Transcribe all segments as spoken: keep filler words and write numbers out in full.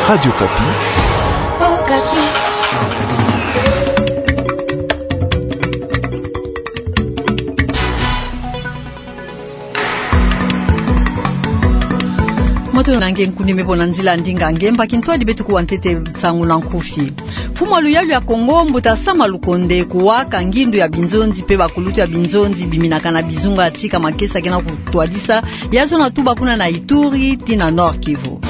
Radio Okapi. Okapi. Moto na nge nkundi me bo na nzila ndinga nge mba kintwadi beto kuwa ntete nsangu na nkufi. Mfumu a luyalu ya Kongo, mbuta Sama Lukonde, kuwaka ngindu ya binzonzi mpe bakulutu ya binzonzi biminaka na bizunga ya tika makesa ke na kutwadisa ya zona tuba kuna na Ituri tii na Nord-Kivu.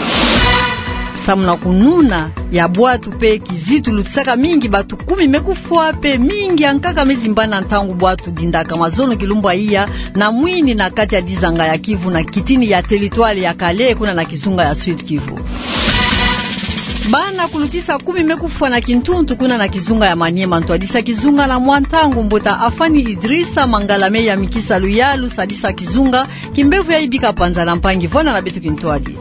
Samu na kununa ya bwatu mpe kizitu lutisaka mingi, batu kumi me kufwa mpe mingi ya nkaka me zimbana ntangu bwatu dindaka mazono kilumbu ya iya na mwini na kati ya dizanga ya Kivu na kitini ya territoire ya Kale kuna na kizunga ya Sud-Kivu. Bana kulutisa kumi me kufwa na kintuntu kuna na kizunga ya Maniema, ntwadisa kizunga na mwa ntangu. Mbuta Afani Idrissa Mangala me yamikisa luyalu sadisa kizunga, kimbevo yayi bika panza na mpangi. Vwanda na beto kintwadi.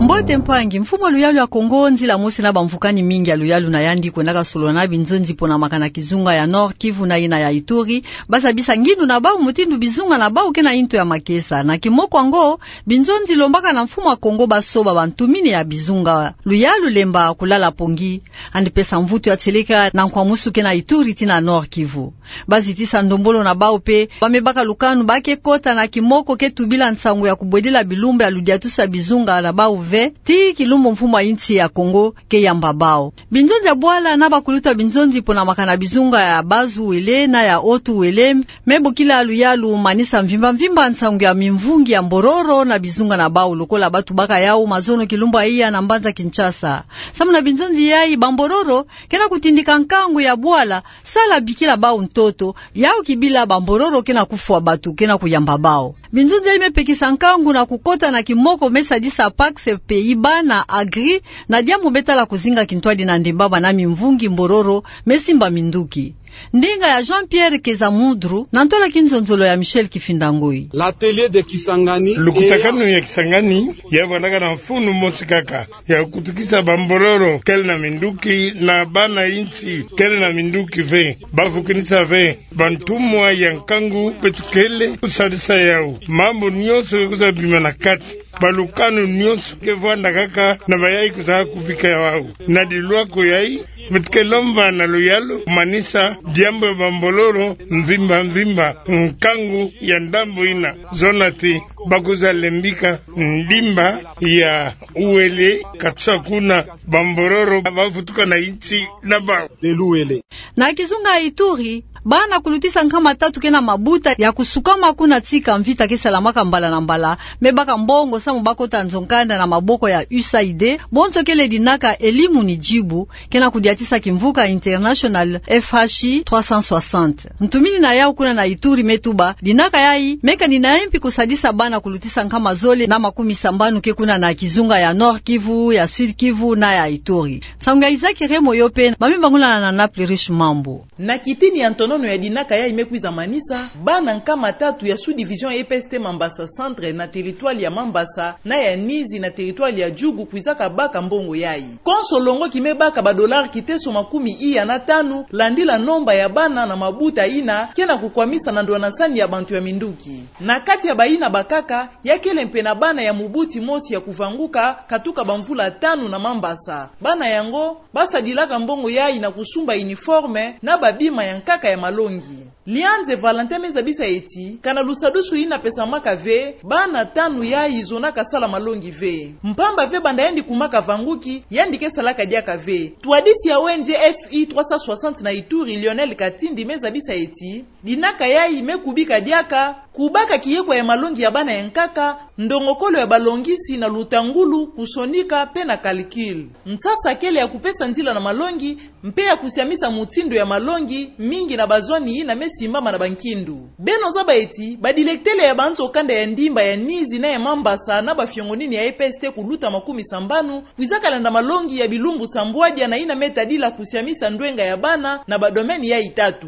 Mbote mpangi. Mfumu a luyalu ya Kongo, nzila mosi na bamvukani mingi ya luyalu na yandi, kwendaka solola na binzonzi pona makana kizunga ya Nord-Kivu na yina ya Ituri, basa bisa ngindu na bau mutindu bizunga na bau ke na nto ya makesa. Na kimoko yango, binzonzi lombaka na mfumu a Kongo basoba bantumini ya bizunga. Luyalu lemba kulala pongi, yandi pesa mvutu ya tieleka na nkwamusu ke na Ituri tii na Nord-Kivu. Bazitisa ndombolo na bau mpe ba me baka lukanu ba ke kota na kimoko ke tubila nsangu ya kubwedila bilumbu ya ludiatusi ya bizunga na bau ve, tii kilumbu mfumu a insi ya Kongo ke yamba bau. Binzonzi ya bwala na bakulutu ya binzonzi pona makana bizunga ya Bas-Uele na ya Haut-Uele me bokila luyalu manisa mvimba mvimba nsangu ya mimvungi ya mbororo na bizunga na bau, lokola ba tubaka yau mazono kilumbu ya iya na mbanza Kinshasa. Samu na binzonzi yayi, bambororo ke na kutindika nkangu ya bwala, sala bikila bau ntoto, yau kibila bambororo ke na kufwa batu, ke na kuyamba bau. Binzonzi yayi me pekisa nkangu na kukota na kimoko me sadisa Pax, Pays-Bas na Agri, na diambu me tala kuzinga kintwadi na ndemba bana mimvungi mbororo me simba minduki. Ndinga ya Jean-Pierre Keza Mudru, na ntola kinzonzolo ya Michel Kifinda Ngoi. L'atelier de Kisangani. Lukutakanu ya Kisangani ya vwandaka na mfunu mosi kaka, ya kutukisa bambororo kele na minduki na bana insi kele na minduki ve. Bavukinisa ve bantumwa ya nkangu beto kele kusadisa yau. Mambu nyonso ke kwiza bima na kati. Balukanu nyonso ke vwanda kaka na bayayi kwiza kubika yau. Na dilwako yayi, beto ke lomba na luyalu manisa diambu ya bambororo mvimba mvimba nkangu ya ndambu ina. Zona ti bakwiza lembika ndimba ya Uele, katsa kuna bambororo bavutuka na insi na bau. De l'Uele. Na kizunga ya Ituri, bana kulutisa nkama tatu ke na mabuta ya kusukama kuna tika mvita ke salamaka mbala na mbala, me baka mbongo samu bakota nzo-nkanda na maboko ya U S A I D, bonso kele dinaka Elimu ni Jibu, ke na kudiatisa kimvuka International F H I trois cent soixante. Ntumini na yau kuna na Ituri me tuba, dinaka yayi me kani na yempi kusadisa bana kulutisa nkama zole na makumi sambanu ke kuna na kizunga ya Nord-Kivu, ya Sud-Kivu na ya Ituri. Nsangu ya Isaac Remo yo mpe, ba me bangula na Naples Riche Mambu. Na kitini ya ntonono ya dinaka yayi me kwiza manisa, bana nkama tatu ya sous-division E P S T Mambasa Centre na territoire ya Mambasa na ya Nizi na territoire ya Djugu kwizaka baka mbongo yayi. Konso longoki me baka ba dollars kiteso makumi iya na tanu, landila nomba ya bana na mabuta ina ke na kukwamisa na ndwanasani ya bantu ya minduki. Na kati ya bayina bakaka, ya kele mpe na bana ya mubuti mosi ya kuvanguka, katuka bamvula tanu na Mambasa. Bana yango, basadilaka mbongo yayi na kusumba uniforme na babima ya nkaka ya malongi. Lianze Valentin me zabisa eti, kana lusadusu yina pesamaka ve, bana tanu yayi zonaka sala malongi ve. Mpamba ve banda yandi kumaka vanguki, yandi ke salaka diaka ve. Twadisi ya O N G F I trois cent soixante na Ituri, Lionel Katindi, me zabisa eti, dinaka yayi me kubika diaka kubaka kiyekwa ya malongi ya bana ya nkaka, ndongokolo ya balongisi na lutangulu, kusonika mpe na calcul. Nsasa kele ya kupesa nzila na malongi, mpe ya kusiamisa mutindu ya malongi, mingi na bazwani yina me simbama na bankindu. Beno zaba eti, badilektele ya banzo-kanda ya ndimba ya Nizi na ya Mambasa na bafiongonini ya E P S T kuluta makumi sambanu, kwizaka landa malongi ya bilumbu sambwadia na yina me tadila kusiamisa ndwenga ya bana na badomaine yayi tatu.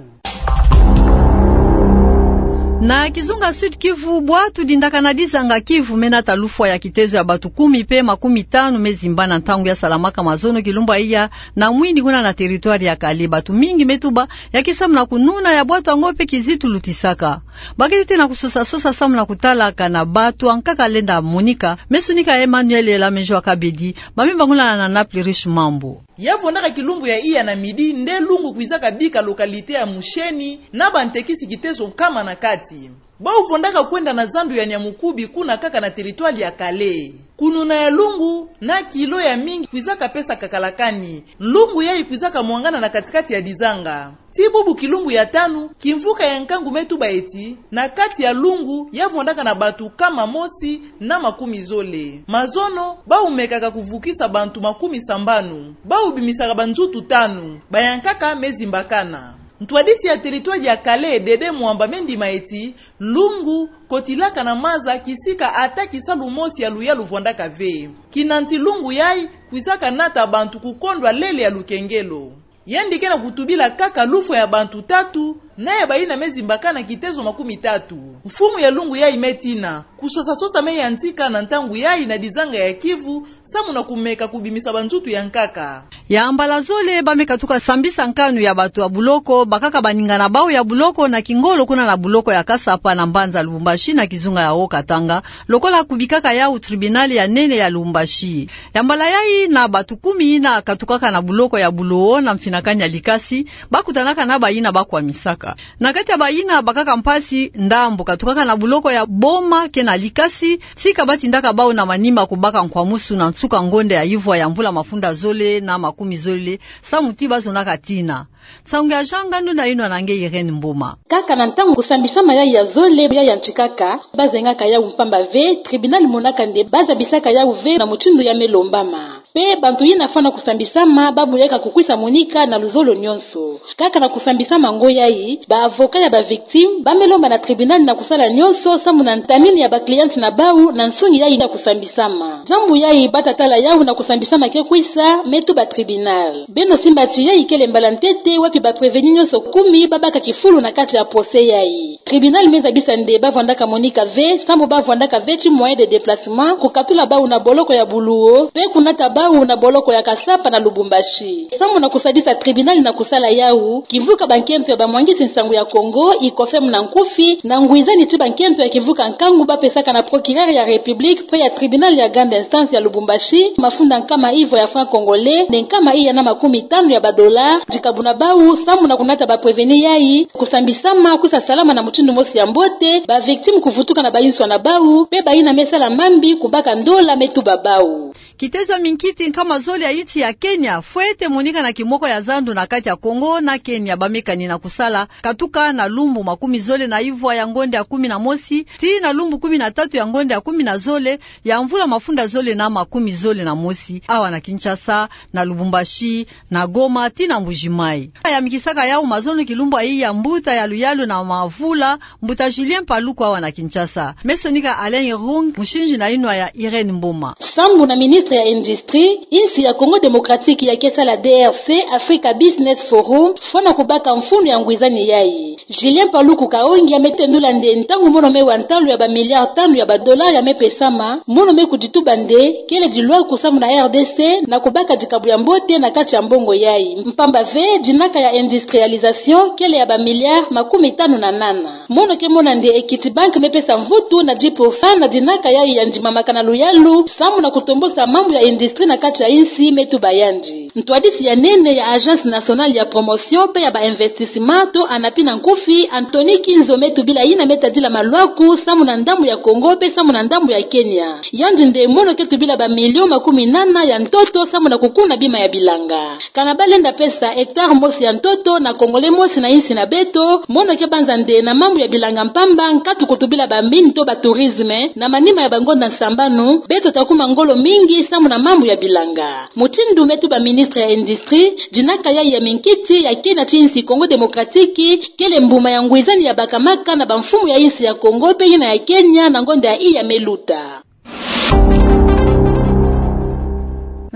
Na kizunga Sud-Kivu, bwatu dindakana dizanga Kivu me nata lufwa ya kitezo ya batu kumi pe makumi tanu me zimba na ntangu ya salamaka mazono kilumbu ya iya na mwini kuna na territoire ya Kale. Batu mingi me tuba ya ke samu na kununa, ya bwatu yango pe kizitu lutisaka. Baketi tena kusosa-sosa samu na kutalaka na batu ankaka lenda monika. Me sonika Emmanuel Elamejo Akabedi, ba me bangula na Naples Riche Mambu. Ya vwandaka kilumbu ya iya na midi nde lungu kwizaka bika localité ya Musheni na bantekisi kitezo nkama na kati. Bau vwandaka kwenda na zandu ya Nyamukubi kuna kaka na territoire ya Kale. Kununa ya lungu na kilo ya mingi kwizaka pesa kakala kani. Lungu yayi kwizaka mwangana na kati-kati ya dizanga. Ti bubu kilumbu ya tanu, kimvuka ya nkangu me tuba eti, na kati ya lungu, ya vwandaka na batu nkama mosi na makumi zole. Mazono, bau mekaka kuvukisa bantu makumi sambanu. Bau bimisaka banzutu tanu. Bayankaka me zimbakana. Ntwadisi ya territoire ya Kale, Dede Mwamba, me ndima eti, lungu kotilaka na maza kisika ata kisalu mosi ya luyalu vwandaka ve. Kinanti lungu yayi kwizaka nata bantu kukondwa lele ya lukengelo. Yandi ke na kutubila kaka lufwa ya bantu tatu, na ya bayina me zimbakana kitezo makumi tatu. Mfumu ya lungu yayi me tina, kusosa-sosa me yantika na ntangu yayi na dizanga ya Kivu, samu na kumeka kubimisa banzutu ya nkaka. Ya mbala zole, ba me katuka sambisa nkanu ya batu ya buloko, bakaka baninga na bau ya buloko na kingolo kuna na buloko ya Kasapa na mbanza Lubumbashi na kizunga ya Haut-Katanga, lokola kubikaka yau tribunal ya nene ya Lubumbashi. Ya mbala yayi na batu kumi yina katukaka na buloko ya Buluwo na mfinakani ya likasi, bakutanaka na bayina bakwamisaka. Na kati ya bayina bakaka mpasi, ndambu katukaka na buloko ya Boma ke na likasi, tika batindaka bau na manima kubaka nkwamusu na nsuka ngonda ya ivwa ya mvula mafunda zole na makumi zole, samu ti bazonaka tina. Nsangu ya janga, nduna yinwa na nge Irène Mboma. Kaka na ntangu kusambisama yayi ya zole ya yantikaka, bazengaka yau mpamba ve, tribunal monaka nde bazabisaka yau ve na mutindu ya me lombama. Pe bantu yina fwana kusambisama, babuyaka kukwisa monika na luzolo nyonso. Kaka na kusambisama ngo yayi, ba avocat ya ba victime ba me lomba na tribunal na kusala nyonso samu na ntamini ya ba cliente na bau na nsungi yayi ya kusambisama. Diambu yayi bata tala yau na kusambisama ke kwisa, me tuba tribunal. Beno simba ti yayi kele mbala ntete wapi ba prévenu nyonso kumi babaka kifulu na kati ya procès yayi. Tribunal me zabisa nde bavwandaka monika ve, samu bavwandaka ve ti moyen de déplacement, kukatula bau na boloko ya Buluwo, pe kunata bau na boloko ya Kasapa na Lubumbashi. Samu na kusadisa tribunal na kusala yau, kimvuka bankento ya bamwangisi nsangu ya Kongo, ICOFEM na nkufi, na ngwizani ti bankento ya kimvuka nkangu bapesaka na procureur ya République, pe ya tribunal ya grande instance ya Lubumbashi, mafunda nkama ivwa ya franc congolais, nde nkama iya na makumi tanu ya ba dollars, dikabu na bau, samu na kunata ba prévenu yayi, kusambisama kwisa salama na mutindu mosi ya mbote, ba victime kuvutuka na bayinswa na bau, pe bayina me sala mambi kubaka ndola me tuba bau. Kitezo ya minkiti nkama zole ya insi ya Kenya fwete monika na kimoko ya zandu na kati ya Kongo na Kenya, ba me kani na kusala katuka na lumbu makumi zole na ivwa ya ngonda ya kumi na mosi tii na lumbu kumi na tatu ya ngonda ya kumi na zole ya mvula mafunda zole na makumi zole na mosi, awa na Kinshasa, na Lubumbashi, na Goma tii na Mbuji-Mayi. Yamikisaka yau mazono kilumbu ya iya mbuta ya luyalu na mavula, mbuta Julien Paluku, awa na Kinshasa. Me sonika Alain Irung, musinzi na yinwa ya Irène Mboma. Sambu na ministre ya Industrie, insi ya Congo Démocratique ya ke sala D R C, Africa Business Forum, fwana kubaka mfunu ya ngwizani yayi. Julien Paluku Kahongia me tendula nde ntangu mono me wa ntalu ya ba milliards tanu ya ba dollars ya me pesama, mono me kudituba nde kele dilwaku samu na R D C na kubaka dikabu ya mbote na kati ya mbongo yayi. Mpamba ve, dinaka ya industrialisation kele ya ba milliards makumi tanu na nana. Mono ke mona nde Equity Bank me pesa mvutu na dix pour cent na dinaka yayi ya ndimamaka na luyalu, samu na kutombosa mambu ya industrie na kati ya insi, me tuba yandi. Ntwadisi ya nene ya Agence Nationale ya Promotion pe ya ba Investissements, to ANAPI na nkufi, Anthony Kinzo, me tubila yina me tadila malwaku samu na ndambu ya Congo pe samu na ndambu ya Kenya. Yandi nde mono ke tubila ba millions makumi nana ya ntoto samu na kukuna bima ya bilanga. Kana balenda pesa hectare mosi ya ntoto na Congolais mosi na insi na beto, mono ke banza nde na mambu ya bilanga mpamba, nkatu kutubila ba mines to ba tourisme, na manima ya bangonda nsambanu, beto ta kuma ngolo mingi samu na mambu ya bilanga. Mutindu me tuba ministre ya Industrie, dinaka yayi ya minkiti ya Kenya tii insi Congo Démocratique kele mbuma ya ngwizani ya bakamaka na bamfumu ya insi ya Congo pe yina ya Kenya na ngonda ya iya me luta.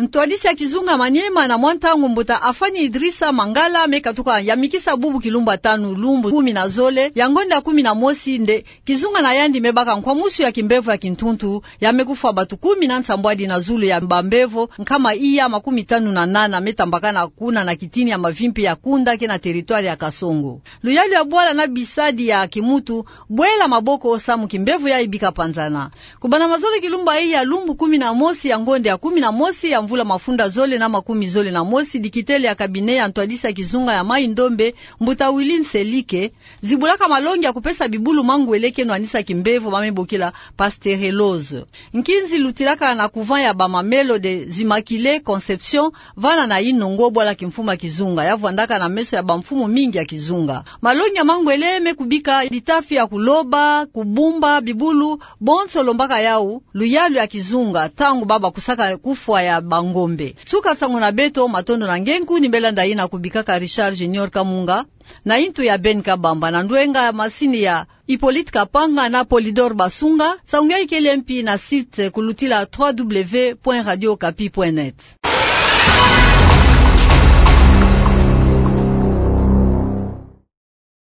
Ntwadisi ya kizunga Maniema na mwa ntangu mbuta Afani Idrissa Mangala me katuka yamikisa bubu kilumbu tanu lumbu kumi na zole ya ngonda kumi na mosi nde kizunga na yandi me baka nkwamusu ya kimbevo ya kintuntu ya me kufwa batu kumi na nsambwadi na zulu ya bambevo nkama iya makumi tanu na nana me tambakana kuna na kitini ya mavimpi ya Kunda ke na territoire ya Kasongo. Luyalu ya bwala na bisadi ya kimutu, bwela maboko samu kimbevo yayi bika panzana. Kubanda mazole kilumbu iya lumbu kumi na mosi ya ngonda ya kumi na mosi ya mvula mafunda zole na makumi zole na mosi, dikitele ya cabinet ya ntwadisi ya kizunga ya Mayi-Ndombe, mbuta Willy Nselike, zibulaka malongi ya kupesa bibulu mangwele ke nwanisa kimbevo ba me bokila pasteurellose. Nkinzi lutilaka na couvent ya ba Mamelles des Immaculées Conception vana na Inongo, bwala kimfumu ya kizunga ya vwandaka na meso ya bamfumu mingi ya kizunga. Malongi ya mangwele me kubika litafi ya kuloba, kubumba bibulu, bonso lombaka yawu luyalu ya kizunga ntangu baba kusaka kufwa ya bangombe. Nsuka nsangu na beto, matondo na nge nku ni mbela ndai na kubikaka Richard Junior Kamunga, na intu ya Ben Kabamba, na ndwenga masini ya Hippolyte Kapanga na Polydor Basunga. Nsangu yayi kele mpi na site kulutila trois W point radio okapi point net.